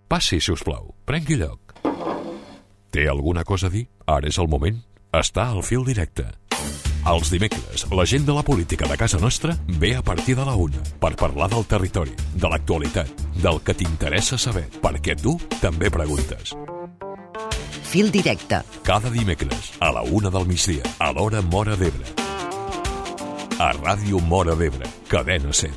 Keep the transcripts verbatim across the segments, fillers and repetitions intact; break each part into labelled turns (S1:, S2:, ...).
S1: Passi, si us plau. Prengui lloc. Té alguna cosa a dir? Ara és el moment. Està al fil directe. Els dimecres, la gent de la política de casa nostra ve a partir de la una per parlar del territori, de l'actualitat, del que t'interessa saber, perquè tu també preguntes.
S2: Fil directe.
S1: Cada dimecres, a la una del migdia, a l'hora Móra d'Ebre. A Ràdio Móra d'Ebre, Cadena Ser.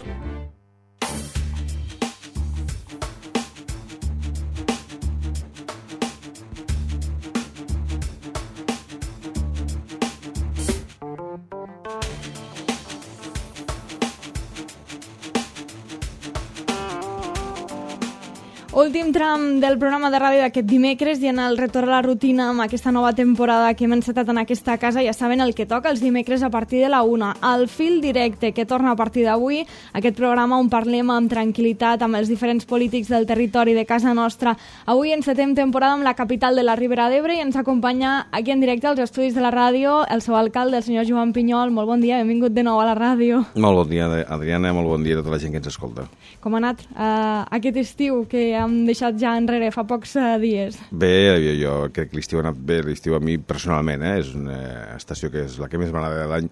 S3: Últim tram del programa de ràdio d'aquest dimecres i en el retorn a la rutina amb aquesta nova temporada que hem encetat en aquesta casa. Ja saben el que toca els dimecres a partir de la una. El fil directe que torna a partir d'avui, aquest programa on parlem amb tranquil·litat amb els diferents polítics del territori de casa nostra. Avui encetem temporada amb la capital de la Ribera d'Ebre i ens acompanya aquí en directe als estudis de la ràdio el seu alcalde, el senyor Joan Pinyol. Molt bon dia, benvingut de nou a la ràdio.
S4: Molt bon dia, Adriana, molt bon dia a tota la gent que ens escolta.
S3: Com ha anat uh, aquest estiu que hem deixat ja enrere fa pocs uh, dies?
S4: Bé, jo, jo crec que l'estiu ha anat bé, l'estiu a mi personalment, eh? És una estació que és la que més m'agrada de l'any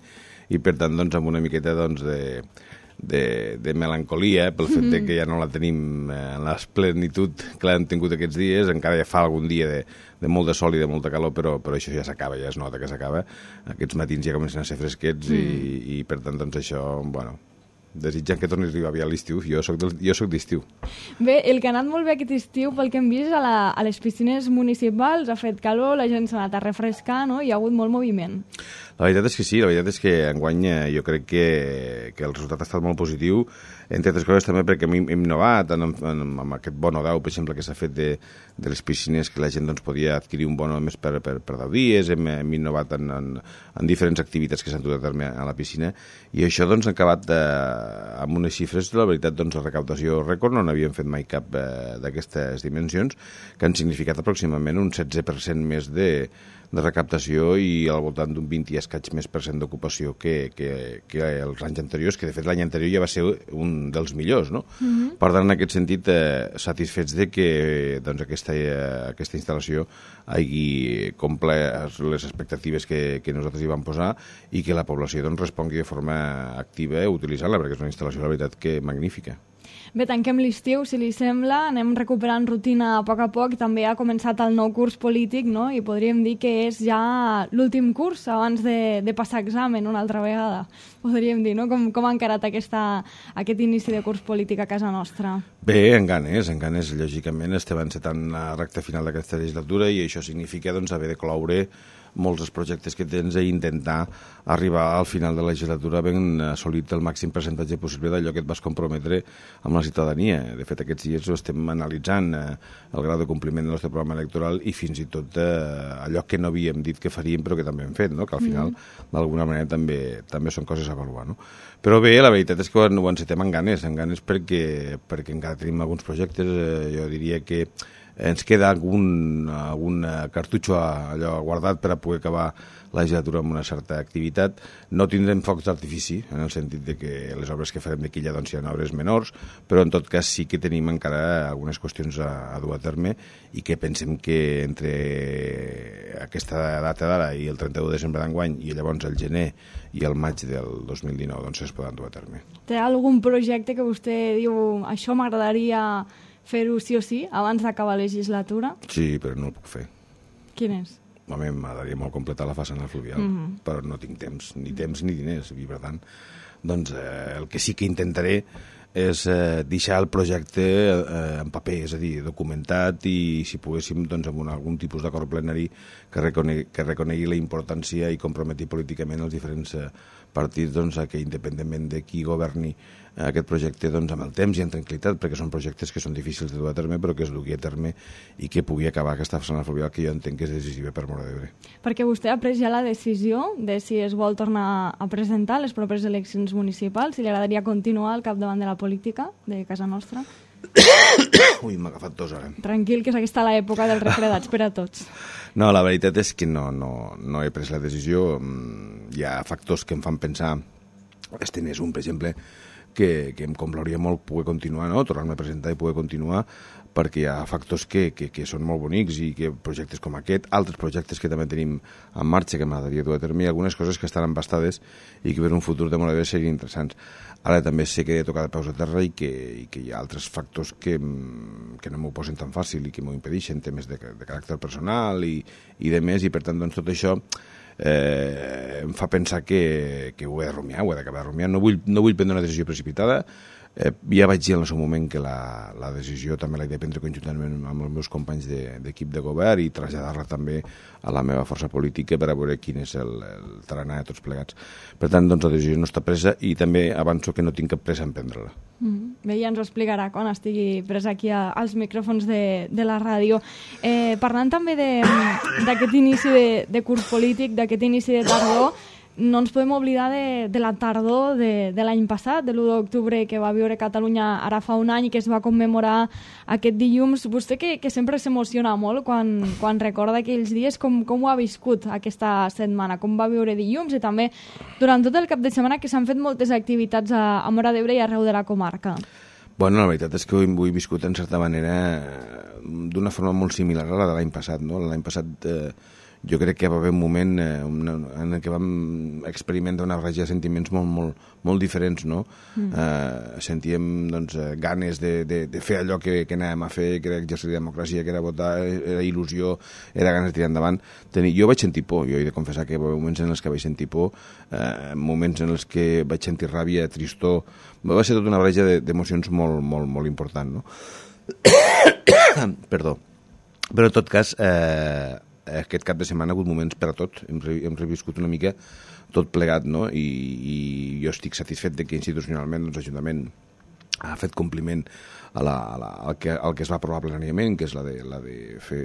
S4: i per tant doncs, amb una miqueta doncs, de, de, de melancolia pel fet de que ja no la tenim en la plenitud que l'hem tingut aquests dies, encara ja fa algun dia de, de molt de sol i de molta calor, però, però això ja s'acaba, ja es nota que s'acaba. Aquests matins ja comencen a ser fresquets mm. i, i per tant doncs, això, bueno, desitjant que torni a arribar aviat l'estiu. Jo soc, del, jo soc d'estiu.
S3: Bé, el que ha anat molt bé aquest estiu, pel que hem vist a, la, a les piscines municipals, ha fet calor, la gent s'ha anat a refrescar, no? Hi ha hagut molt moviment.
S4: La veritat és que sí, la veritat és que enguany jo crec que, que el resultat ha estat molt positiu, entre altres coses també perquè hem, hem innovat en, en, en aquest bono deu, per exemple, que s'ha fet de, de les piscines, que la gent doncs, podia adquirir un bono més per, per, per deu dies, hem, hem innovat en, en, en diferents activitats que s'han dut a terme a la piscina, i això doncs, ha acabat eh, amb unes xifres, la veritat, doncs, de recaptació rècord, no n'havíem fet mai cap eh, d'aquestes dimensions, que han significat aproximadament un setze per cent més de de recaptació i al voltant d'un vint i escaig més per cent d'ocupació que, que, que els anys anteriors, que de fet l'any anterior ja va ser un dels millors, no? Mm-hmm. Per tant, en aquest sentit, eh, satisfets de que doncs, aquesta, eh, aquesta instal·lació hagi complert les expectatives que, que nosaltres hi vam posar i que la població doncs, respongui de forma activa utilitzant-la, perquè és una instal·lació, la veritat, que magnífica.
S3: Bé, tanquem l'estiu, si li sembla, anem recuperant rutina a poc a poc, també ha començat el nou curs polític, no? I podríem dir que és ja l'últim curs abans de, de passar examen una altra vegada, podríem dir, no? Com, com ha encarat aquesta, aquest inici de curs polític a casa nostra?
S4: Bé, en ganes, en ganes, lògicament estem encetant la recta final d'aquesta legislatura i això significa doncs, haver de cloure molts dels projectes que tens i intentar arribar al final de la legislatura ben assolit el màxim percentatge possible d'allò que et vas comprometre amb la ciutadania. De fet, aquests dies ho estem analitzant, eh, el grau de compliment del nostre programa electoral i fins i tot eh, allò que no havíem dit que faríem però que també hem fet, no? Que al final, mm. d'alguna manera, també, també són coses a avaluar. No? Però bé, la veritat és que ho encetem amb ganes, amb ganes perquè, perquè encara tenim alguns projectes, eh, jo diria que ens queda algun, algun cartutxo allò guardat per a poder acabar la legislatura amb una certa activitat. No tindrem focs d'artifici, en el sentit de que les obres que farem d'aquí ja doncs, seran obres menors, però en tot cas sí que tenim encara algunes qüestions a, a dur a terme i que pensem que entre aquesta data d'ara i el trenta-u de desembre d'enguany i llavors el gener i el maig del dos mil dinou doncs, es poden dur a terme.
S3: Té algun projecte que vostè diu això m'agradaria fer-ho sí o sí, abans d'acabar la legislatura?
S4: Sí, però no el puc fer.
S3: Quin és?
S4: Home, m'agradaria molt completar la façana fluvial, mm-hmm. però no tinc temps, ni temps ni diners, i per tant, doncs eh, el que sí que intentaré és eh, deixar el projecte eh, en paper, és a dir, documentat i si poguéssim doncs, amb un, algun tipus d'acord plenari que reconegui, que reconegui la importància i comprometi políticament els diferents eh, partits doncs, que independentment de qui governi aquest projecte doncs, amb el temps i en tranquil·litat, perquè són projectes que són difícils de dur a terme, però que es dugui a terme i que pugui acabar aquesta façana fluvial que jo entenc que és decisiva per Móra d'Ebre.
S3: Perquè vostè ha pres ja la decisió de si es vol tornar a presentar les properes eleccions municipals, si li agradaria continuar al capdavant de la política de casa nostra?
S4: Ui, m'ha agafat tos ara.
S3: Tranquil, que és aquesta l'època dels refredats per a tots.
S4: No, la veritat és que no, no, no he pres la decisió. Hi ha factors que em fan pensar, este n'és un, per exemple, que, que em complauria molt poder continuar, no? Tornar-me a presentar i poder continuar, perquè hi ha factors que, que, que són molt bonics i que projectes com aquest, altres projectes que també tenim en marxa que m'agradaria dur a terme, i algunes coses que estan embastades i que per un futur de Móra d'Ebre serien interessants. Ara també sé que he de tocar de peus a terra i que, i que hi ha altres factors que, que no m'ho posen tan fàcil i que m'ho impedeixen, temes de, de caràcter personal i, i de més, i per tant doncs, tot això eh, em fa pensar que, que ho he de rumiar, ho he d'acabar de rumiar. No vull, no vull prendre una decisió precipitada. Eh, ja vaig dir en el seu moment que la, la decisió també l'he de prendre conjuntament amb els meus companys d'equip de, de govern i traslladar-la també a la meva força política per a veure quin és el, el tarannà de tots plegats. Per tant, doncs, la decisió no està presa i també avanço que no tinc cap pressa en prendre-la.
S3: Mm, bé, ja ens ho explicarà quan estigui presa aquí a, als micròfons de, de la ràdio. Eh, parlant també d'aquest inici de, de curs polític, d'aquest inici de tardor, no ens podem oblidar de, de la tardor de, de l'any passat, de l'u d'octubre que va viure Catalunya ara fa un any i que es va commemorar aquest dilluns. Vostè que, que sempre s'emociona molt quan, quan recorda aquells dies, com, com ho ha viscut aquesta setmana, com va viure dilluns i també durant tot el cap de setmana que s'han fet moltes activitats a, a Móra d'Ebre i arreu de la comarca.
S4: Bueno, la veritat és que ho he viscut en certa manera d'una forma molt similar a la de l'any passat, no? L'any passat eh, jo crec que va haver un moment eh, en el que vam experimentar una barreja de sentiments molt, molt, molt diferents, no? Mm. Eh, sentíem doncs, ganes de, de, de fer allò que, que anàvem a fer, que era exercir la democràcia, que era votar, era il·lusió, era ganes de tirar endavant. Tenir, jo vaig sentir por, jo he de confessar que hi va haver moments en els que vaig sentir por, eh, moments en els que vaig sentir ràbia, tristor, va ser tota una barreja d'emocions molt, molt, molt important, no? Perdó. Però en tot cas, eh, aquest cap de setmana ha hagut moments per a tot, hem, re, hem reviscut una mica tot plegat, no? I, i jo estic satisfet de que institucionalment doncs, l'Ajuntament ha fet compliment a la, a la, al, que, al que es va aprovar plenàriament, que és la de, la de fer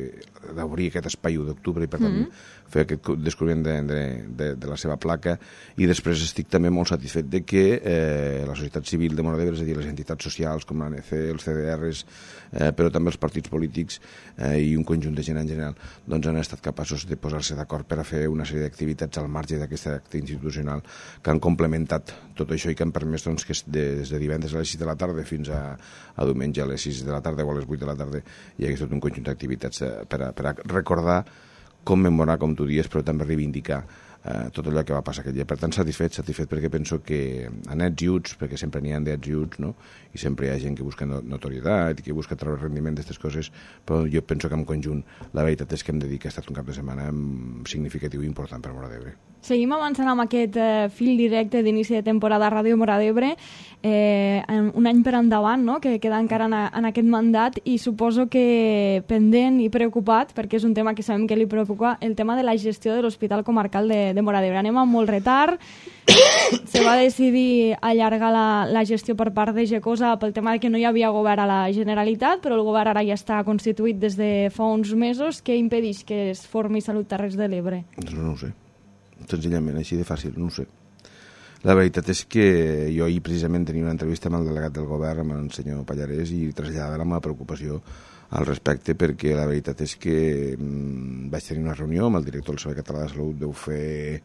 S4: d'obrir aquest espai u d'octubre i per tant mm. fer aquest descobriment de, de, de, de la seva placa, i després estic també molt satisfet de que eh, la societat civil de Móra d'Ebre, és a dir, les entitats socials com l'A N C, els C D Rs, eh, però també els partits polítics eh, i un conjunt de gent en general, doncs han estat capaços de posar-se d'acord per a fer una sèrie d'activitats al marge d'aquest acte institucional que han complementat tot això i que han permès doncs, que des de divendres a les sis de la tarda fins a, a diumenge a les sis de la tarda o a les vuit de la tarda hi hagués tot un conjunt d'activitats per a, per a recordar, commemorar, com tu dies, però també reivindicar eh, tot allò que va passar aquell dia. Per tant, satisfet, satisfet perquè penso que anets i uts, perquè sempre n'hi ha d'ets i uts, no? I sempre hi ha gent que busca notorietat i que busca treure rendiment d'aquestes coses, però jo penso que en conjunt la veritat és que hem de dir que ha estat un cap de setmana significatiu i important per Móra d'Ebre.
S3: Seguim avançant amb aquest eh, fil directe d'inici de temporada a Ràdio Móra d'Ebre, eh, un any per endavant, no?, que queda encara en, a, en aquest mandat, i suposo que pendent i preocupat, perquè és un tema que sabem que li preocupa, el tema de la gestió de l'Hospital Comarcal de, de Móra d'Ebre. Anem amb molt retard, se va decidir allargar la, la gestió per part de Gecosa pel tema de que no hi havia govern a la Generalitat, però el govern ara ja està constituït des de fa uns mesos. Què impedeix que es formi Salut Terres de l'Ebre?
S4: Doncs no ho sé. Senzillament, així de fàcil, no ho sé. La veritat és que jo ahir precisament tenia una entrevista amb el delegat del govern, amb el senyor Pallarès, i traslladava la meva preocupació al respecte, perquè la veritat és que mmm, vaig tenir una reunió amb el director del Servei Català de Salut, deu fer,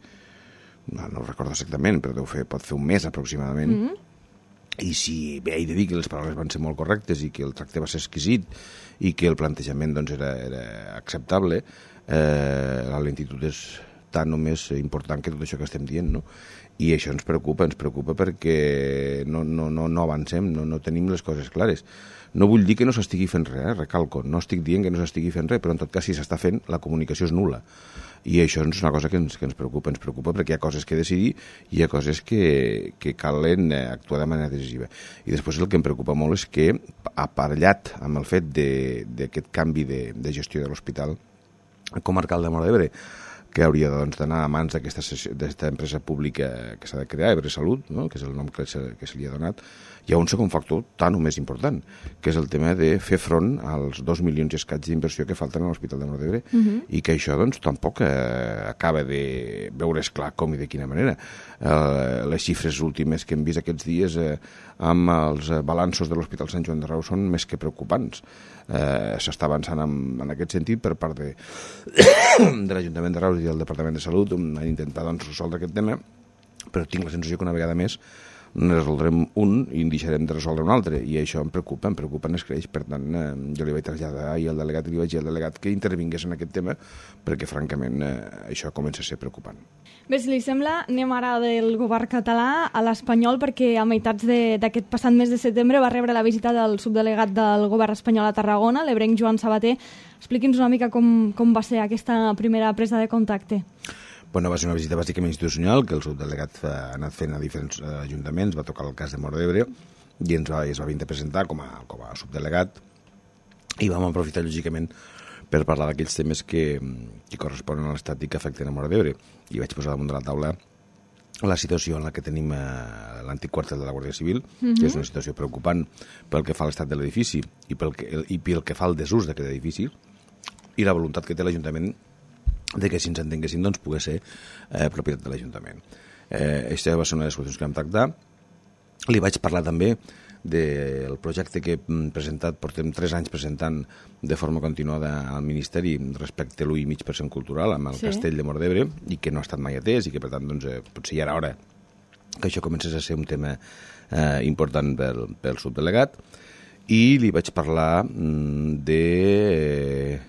S4: no, no ho recordo exactament, però deu fer, pot fer un mes aproximadament, mm -hmm. I si bé, he de dir que les paraules van ser molt correctes i que el tracte va ser exquisit i que el plantejament doncs, era, era acceptable, eh, la lentitud és tan o més important que tot això que estem dient, no? I això ens preocupa, ens preocupa perquè no, no, no, no avancem, no, no tenim les coses clares. No vull dir que no s'estigui fent res, eh? Recalco, no estic dient que no s'estigui fent res, però en tot cas si s'està fent, la comunicació és nul·la. I això és una cosa que ens, que ens preocupa, ens preocupa perquè hi ha coses que decidir i hi ha coses que, que calen actuar de manera decisiva. I després el que em preocupa molt és que, aparellat amb el fet d'aquest canvi de, de gestió de l'Hospital Comarcal de Móra d'Ebre, que hauria doncs, d'anar a mans d'aquesta empresa pública que s'ha de crear, Ebre Salut, no?, que és el nom que se, que se li ha donat, hi ha un segon factor tan o més important, que és el tema de fer front als dos milions i escaig d'inversió que falten a l'Hospital de Móra d'Ebre, uh -huh. i que això doncs, tampoc eh, acaba de veure's clar com i de quina manera. Eh, les xifres últimes que hem vist aquests dies eh, amb els balanços de l'Hospital Sant Joan de Reus són més que preocupants. Eh, s'està avançant en, en aquest sentit per part de, de l'Ajuntament de Reus i del Departament de Salut a intentar doncs, resoldre aquest tema, però tinc la sensació que una vegada més ne resoldrem un i en deixarem de resoldre un altre, i això em preocupa, em preocupa, en escreix. Per tant, eh, jo li vaig traslladar ahir al delegat i li vaig dir al delegat que intervingués en aquest tema, perquè francament eh, això comença a ser preocupant.
S3: Bé, si li sembla, anem ara del govern català a l'espanyol, perquè a meitats d'aquest passat mes de setembre va rebre la visita del subdelegat del govern espanyol a Tarragona, l'ebrenc Joan Sabater. Expliqui'ns una mica com, com va ser aquesta primera presa de contacte.
S4: Bueno, va ser una visita bàsicament institucional que el subdelegat ha anat fent a diferents uh, ajuntaments, va tocar el cas de Móra d'Ebre i ens va, es va venir a presentar com a, com a subdelegat, i vam aprofitar lògicament per parlar d'aquells temes que, que corresponen a l'Estat i que afecten a Móra d'Ebre, i vaig posar damunt de la taula la situació en la que tenim eh, l'antic quartel de la Guàrdia Civil, mm-hmm. que és una situació preocupant pel que fa a l'estat de l'edifici i pel que, i pel que fa al desús d'aquest edifici, i la voluntat que té l'Ajuntament de que si ens entenguessin doncs pogués ser eh, propietat de l'Ajuntament. Eh, això va ser una de les qüestions que vam tractar. Li vaig parlar també del projecte que hem presentat, portem tres anys presentant de forma continuada al Ministeri respecte a l'u i mig per cent cultural amb el sí. Castell de Móra d'Ebre, i que no ha estat mai atès, i que per tant doncs, eh, potser ja era hora que això comencés a ser un tema eh, important pel, pel subdelegat. I li vaig parlar mm, de... Eh,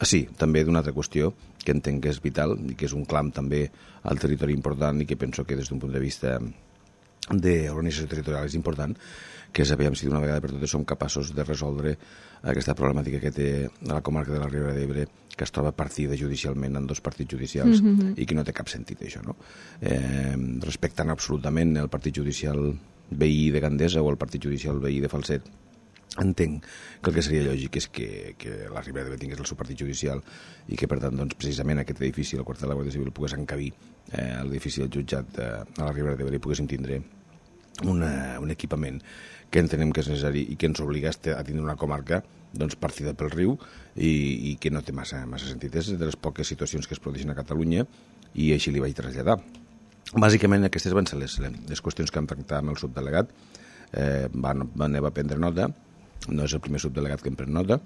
S4: Ah, sí, també d'una altra qüestió que entenc que és vital i que és un clam també al territori important, i que penso que des d'un punt de vista d'organització territorial és important, que és aviam si d'una vegada per totes som capaços de resoldre aquesta problemàtica que té la comarca de la Ribera d'Ebre, que es troba partida judicialment en dos partits judicials, mm-hmm. i que no té cap sentit això, no? Eh, respectant absolutament el partit judicial veí de Gandesa o el partit judicial veí de Falset, entenc que el que seria lògic és que, que la Ribera d'Ebre tingués el seu partit judicial, i que per tant doncs, precisament aquest edifici, el quartel de la Guàrdia Civil, pogués encabir eh, l'edifici del jutjat eh, a la Ribera d'Ebre, i poguéssim tindre una, un equipament que entenem que és necessari i que ens obliga a tindre una comarca doncs, partida pel riu, i, i que no té massa, massa sentit. És de les poques situacions que es produeixen a Catalunya, i així li vaig traslladar. Bàsicament aquestes van ser les, les qüestions que vam tractar amb el subdelegat. Eh, van, van, va prendre nota. No és el primer subdelegat que em pren nota,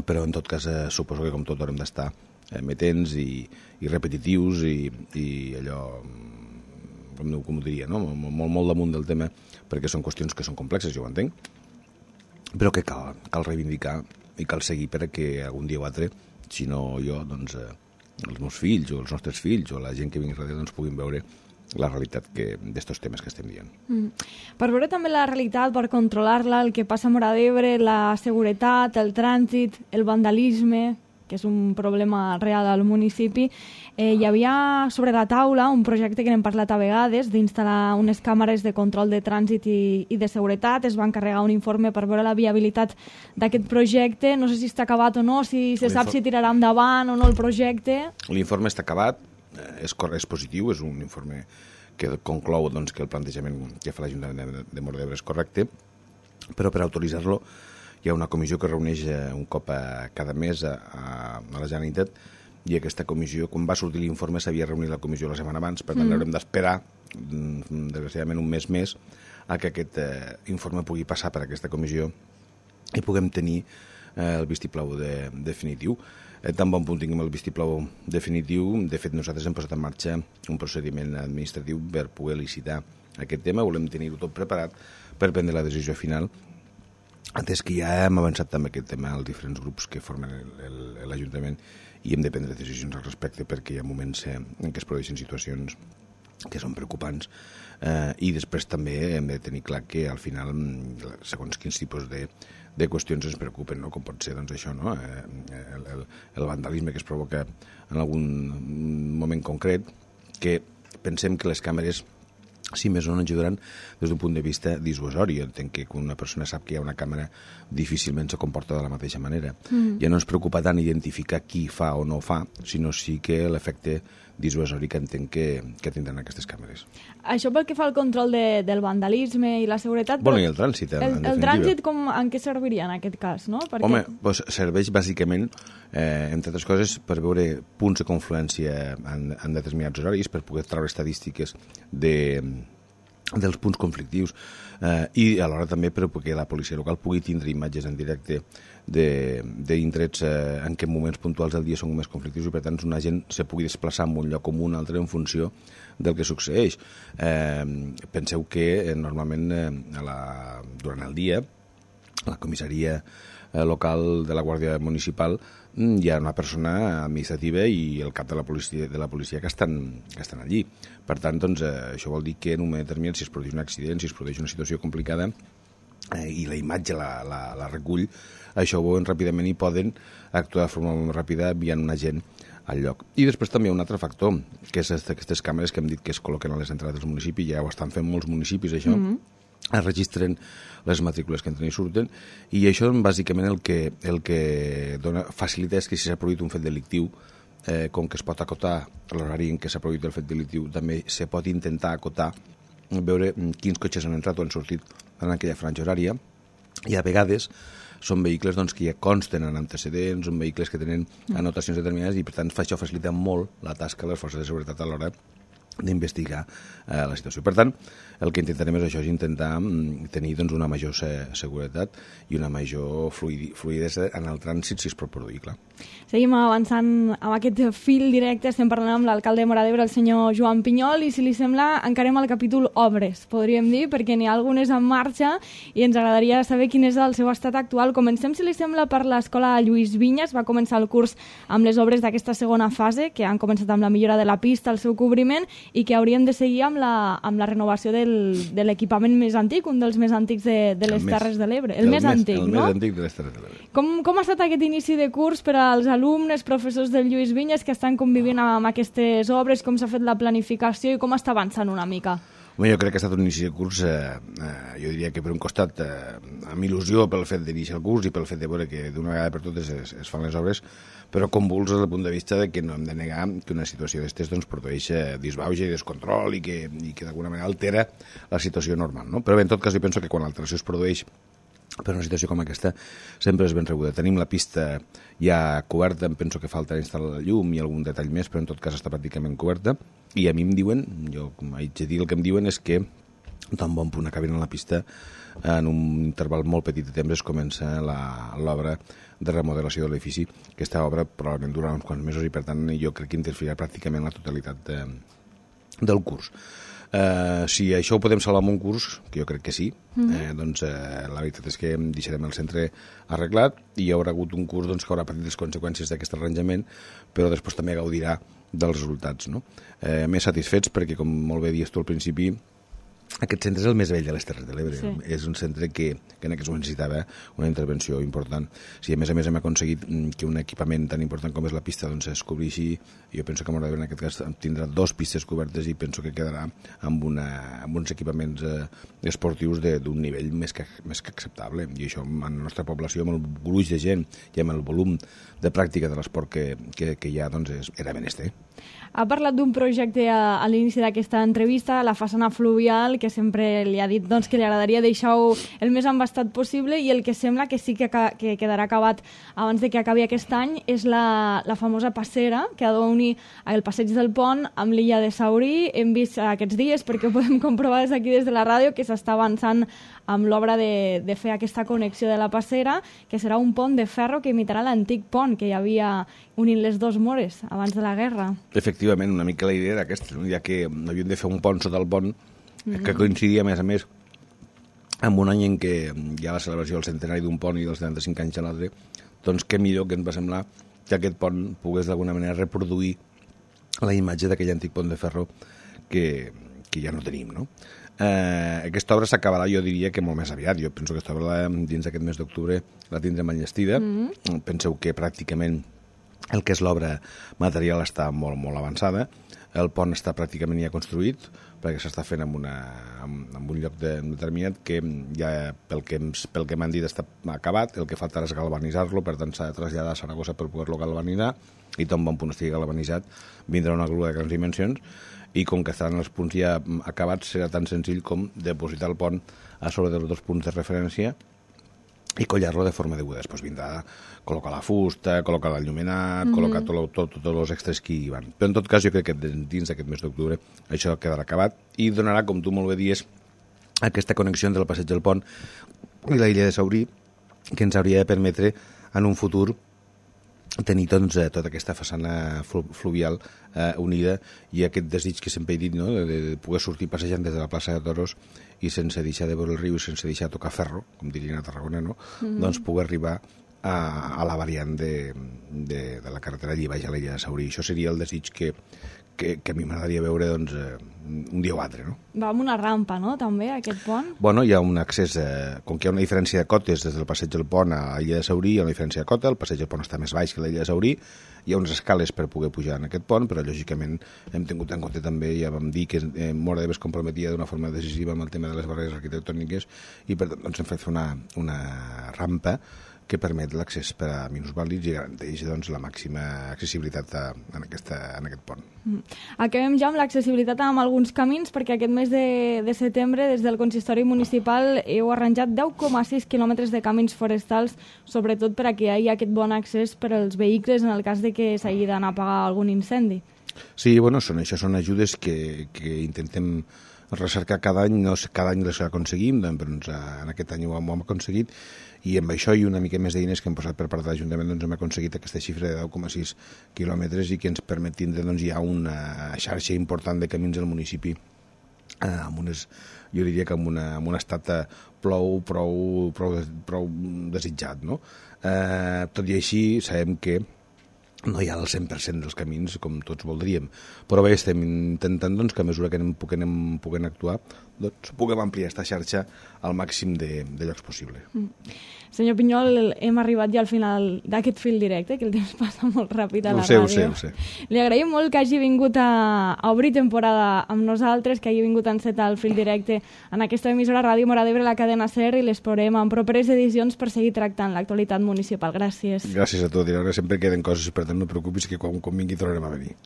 S4: però en tot cas eh, suposo que com tot haurem d'estar eh, metents i, i repetitius i, i allò, com, com ho diria, no? molt, molt damunt del tema, perquè són qüestions que són complexes, jo ho entenc, però que cal, cal reivindicar i cal seguir perquè algun dia o altre, si no jo, doncs eh, els meus fills o els nostres fills o la gent que vingui darrere doncs puguin veure la realitat d'estos temes que estem dient.
S3: Mm. Per veure també la realitat, per controlar-la, el que passa a Móra d'Ebre, la seguretat, el trànsit, el vandalisme, que és un problema real al municipi, eh, hi havia sobre la taula un projecte que n'hem parlat a vegades, d'instal·lar unes càmeres de control de trànsit i, i de seguretat. Es va encarregar un informe per veure la viabilitat d'aquest projecte. No sé si està acabat o no, si se sap si tirarà endavant o no el projecte.
S4: L'informe està acabat. És, és positiu, és un informe que conclou doncs, que el plantejament que fa l'Ajuntament de, de Móra d'Ebre és correcte, però per autoritzar-lo hi ha una comissió que reuneix un cop a cada mes a, a, a la Generalitat, i aquesta comissió, quan va sortir l'informe, s'havia reunit la comissió la setmana abans, per tant mm. haurem d'esperar, desgraciadament un mes més, a que aquest eh, informe pugui passar per aquesta comissió i puguem tenir eh, el vistiplau de, definitiu. Eh, tan bon punt tinguem el vistiplau definitiu, de fet nosaltres hem posat en marxa un procediment administratiu per poder licitar aquest tema, volem tenir-ho tot preparat per prendre la decisió final, atès que ja hem avançat també aquest tema als diferents grups que formen l'Ajuntament, i hem de prendre decisions al respecte perquè hi ha moments en què es produeixen situacions que són preocupants, eh, i després també hem de tenir clar que al final segons quins tipus de de qüestions ens preocupen, no? Com pot ser doncs, això, no? eh, el, el, el vandalisme que es provoca en algun moment concret, que pensem que les càmeres, si més no, ajudaran des d'un punt de vista dissuasori. Entenc que quan una persona sap que hi ha una càmera difícilment se comporta de la mateixa manera. Mm. Ja no ens preocupa tant identificar qui fa o no fa, sinó sí que l'efecte dissuasori que entenc que, que tindran aquestes càmeres.
S3: Això pel que fa al control de, del vandalisme i la seguretat...
S4: Bueno, i el trànsit, en,
S3: el,
S4: en
S3: el trànsit com, en què serviria en aquest cas, no? Perquè...
S4: Home, doncs serveix bàsicament, eh, entre altres coses, per veure punts de confluència en, en determinats horaris, per poder treure estadístiques de, dels punts conflictius, eh, i alhora també perquè la policia local pugui tindre imatges en directe d'indrets eh, en què moments puntuals del dia són més conflictius i per tant una gent se pugui desplaçar en un lloc com un altre en funció del que succeeix. Eh, penseu que eh, normalment eh, a la, durant el dia a la comissaria eh, local de la Guàrdia Municipal hi ha una persona administrativa i el cap de la policia, de la policia que, estan, que estan allí. Per tant, doncs, eh, això vol dir que en un moment determinat, si es produeix un accident, si es produeix una situació complicada eh, i la imatge la, la, la recull, això ho veuen ràpidament i poden actuar de forma molt ràpida enviant un agent al lloc. I després també hi ha un altre factor, que és aquestes càmeres que hem dit que es col·loquen a les entrades dels municipis, ja ho estan fent molts municipis, això, mm-hmm. es registren les matrícules que entren i surten, i això bàsicament el que, el que dona, facilita és que si s'ha produït un fet delictiu, eh, com que es pot acotar l'horari en què s'ha produït el fet delictiu, també se pot intentar acotar, veure quins cotxes han entrat o han sortit en aquella franja horària, i a vegades són vehicles doncs, que ja consten en antecedents, són vehicles que tenen anotacions determinades i per tant això facilita molt la tasca de les forces de seguretat a l'hora d'investigar eh, la situació. Per tant, el que intentarem és això, és intentar mm, tenir doncs, una major se seguretat i una major fluidi fluidesa en el trànsit si es pot produir, clar.
S3: Seguim avançant amb aquest fil directe, estem parlant amb l'alcalde de Móra d'Ebre, el senyor Joan Pinyol, i si li sembla encarem el capítol obres, podríem dir, perquè n'hi ha algunes en marxa i ens agradaria saber quin és el seu estat actual. Comencem, si li sembla, per l'escola Lluís Vinyes. Va començar el curs amb les obres d'aquesta segona fase, que han començat amb la millora de la pista, el seu cobriment, i que haurien de seguir amb la, amb la renovació del, de l'equipament més antic, un dels més antics de, de les Terres de l'Ebre. El, el més antic,
S4: el
S3: no?
S4: El més antic de les Terres de l'Ebre.
S3: Com, com ha estat aquest inici de curs per als alumnes, professors del Lluís Vinyes que estan convivint amb aquestes obres? Com s'ha fet la planificació i com està avançant una mica?
S4: Bé, jo crec que ha estat un inici de curs, eh, eh, jo diria que per un costat eh, amb il·lusió pel fet d'iniciar el curs i pel fet de veure que d'una vegada per totes es, es fan les obres, però convuls des del punt de vista de que no hem de negar que una situació d'estes doncs, produeix eh, disbauxa i descontrol i que, i que d'alguna manera altera la situació normal, no? Però bé, en tot cas jo penso que quan l'alteració es produeix per una situació com aquesta sempre és ben rebuda. Tenim la pista ja coberta, em penso que falta instal·lar la llum i algun detall més, però en tot cas està pràcticament coberta, i a mi em diuen, jo com haig de dir, el que em diuen és que tan bon punt acabin a la pista, en un interval molt petit de temps es comença l'obra de remodelació de l'edifici. Aquesta obra probablement durarà uns quants mesos i per tant jo crec que interferirà pràcticament la totalitat de, del curs. Uh, si això ho podem salvar amb un curs, que jo crec que sí, mm-hmm. eh, doncs eh, la veritat és que deixarem el centre arreglat i hi haurà hagut un curs doncs, que haurà patit les conseqüències d'aquest arranjament, però després també gaudirà dels resultats, no? Eh, més satisfets perquè, com molt bé dius tu al principi, aquest centre és el més vell de les Terres de l'Ebre. Sí. És un centre que, que en aquests moments necessitava una intervenció important. Si a més a més hem aconseguit que un equipament tan important com és la pista doncs, es cobreixi, jo penso que Móra d'Ebre en aquest cas tindrà dos pistes cobertes i penso que quedarà amb, una, amb uns equipaments eh, esportius d'un nivell més que, més que acceptable. I això en la nostra població, amb el gruix de gent i amb el volum de pràctica de l'esport que, que, que hi ha, doncs és, era menester.
S3: Ha parlat d'un projecte a, a l'inici d'aquesta entrevista, la façana fluvial, que sempre li ha dit doncs, que li agradaria deixar-ho el més embastat possible, i el que sembla que sí que, que quedarà acabat abans de que acabi aquest any és la, la famosa passera que ha d'unir el passeig del Pont amb l'illa de Saurí. Hem vist aquests dies, perquè ho podem comprovar des d'aquí des de la ràdio, que s'està avançant amb l'obra de, de fer aquesta connexió de la passera, que serà un pont de ferro que imitarà l'antic pont que hi havia unint les dues Mores abans de la guerra.
S4: Efectivament, una mica la idea era aquesta, no? Ja que havíem de fer un pont sota el pont, mm-hmm. que coincidia, a més a més, amb un any en què hi ha la celebració del centenari d'un pont i dels setanta-cinc anys a l'altre, doncs què millor que ens va semblar que aquest pont pogués d'alguna manera reproduir la imatge d'aquell antic pont de ferro que, que ja no tenim, no? Eh, aquesta obra s'acabarà, jo diria que molt més aviat. Jo penso que aquesta obra dins d'aquest mes d'octubre la tindrem enllestida. Mm-hmm. Penseu que pràcticament el que és l'obra material està molt, molt avançada. El pont està pràcticament ja construït, perquè s'està fent en, una, en, en un lloc de, determinat que ja, pel que, pel que m'han dit, està acabat. El que falta és galvanitzar-lo, per tant s'ha de traslladar a Saragossa per poder-lo galvanitzar, i tan bon punt estigui galvanitzat vindrà una grua de grans dimensions, i com que estaran els punts ja acabats, serà tan senzill com depositar el pont a sobre dels dos punts de referència i collar-lo de forma deguda. Després vindrà col·locar la fusta, col·locar l'enllumenat, mm-hmm. col·locar tots tot, tot els extras que hi van. Però en tot cas jo crec que dins d'aquest mes d'octubre això quedarà acabat i donarà, com tu molt bé dies, aquesta connexió entre el passeig del Pont i la illa de Saurí, que ens hauria de permetre en un futur tenir doncs, tota aquesta façana fluvial eh, unida i aquest desig que sempre he dit, no? de, de poder sortir passejant des de la plaça de Toros i sense deixar de veure el riu i sense deixar de tocar ferro, com dirien a Tarragona, no? Mm-hmm. doncs poder arribar a, a la variant de, de, de la carretera Llibaix a l'illa de Saurí. Això seria el desig que, que, que a mi m'agradaria veure doncs, eh, un dia o altre. No?
S3: Va amb una rampa, no?, també, aquest pont?
S4: Bueno, hi ha un accés, eh, com que hi ha una diferència de cotes des del passeig del pont a l'illa de Saurí, hi ha una diferència de cota, el passeig del pont està més baix que l'illa de Saurí, hi ha unes escales per poder pujar en aquest pont, però lògicament hem tingut en compte també, ja vam dir que eh, Móra d'Ebre es comprometia d'una forma decisiva amb el tema de les barreres arquitectòniques i per tant doncs, hem fet una, una rampa que permet l'accés per a minusvàlids i garanteix doncs, la màxima accessibilitat a, en, aquesta, en aquest pont.
S3: Mm. Acabem ja amb l'accessibilitat amb alguns camins, perquè aquest mes de, de setembre des del Consistori Municipal heu arranjat deu coma sis quilòmetres de camins forestals, sobretot per a que hi hagi aquest bon accés per als vehicles en el cas de que s'hagi d'anar a apagar algun incendi.
S4: Sí, bueno, són, això són ajudes que, que intentem recercar cada any, no sé, cada any les aconseguim, doncs en aquest any ho hem, ho hem aconseguit, i amb això i una mica més d'eines que hem posat per part de l'Ajuntament doncs hem aconseguit aquesta xifra de deu coma sis quilòmetres i que ens permet tindre doncs, ja una xarxa important de camins al municipi eh, amb unes, jo diria que amb, una, amb un estat prou, prou, prou, prou desitjat, no? Eh, tot i així sabem que no hi ha el cent per cent dels camins com tots voldríem, però bé, estem intentant doncs, que a mesura que anem, puguem, puguem actuar doncs, puguem ampliar aquesta xarxa al màxim de, de llocs possible.
S3: Mm. Senyor Pinyol, hem arribat ja al final d'aquest fil directe, que el temps passa molt ràpid a la
S4: ho sé,
S3: ràdio.
S4: Ho sé, ho sé.
S3: Li agraïm molt que hagi vingut a, a obrir temporada amb nosaltres, que hagi vingut a encetar el fil directe en aquesta emissora Ràdio Móra d'Ebre, la cadena SER, i l'esperem en properes edicions per seguir tractant l'actualitat municipal. Gràcies.
S4: Gràcies a tot, i ara sempre queden coses, per tant no et preocupis que quan, quan vingui tornarem a venir.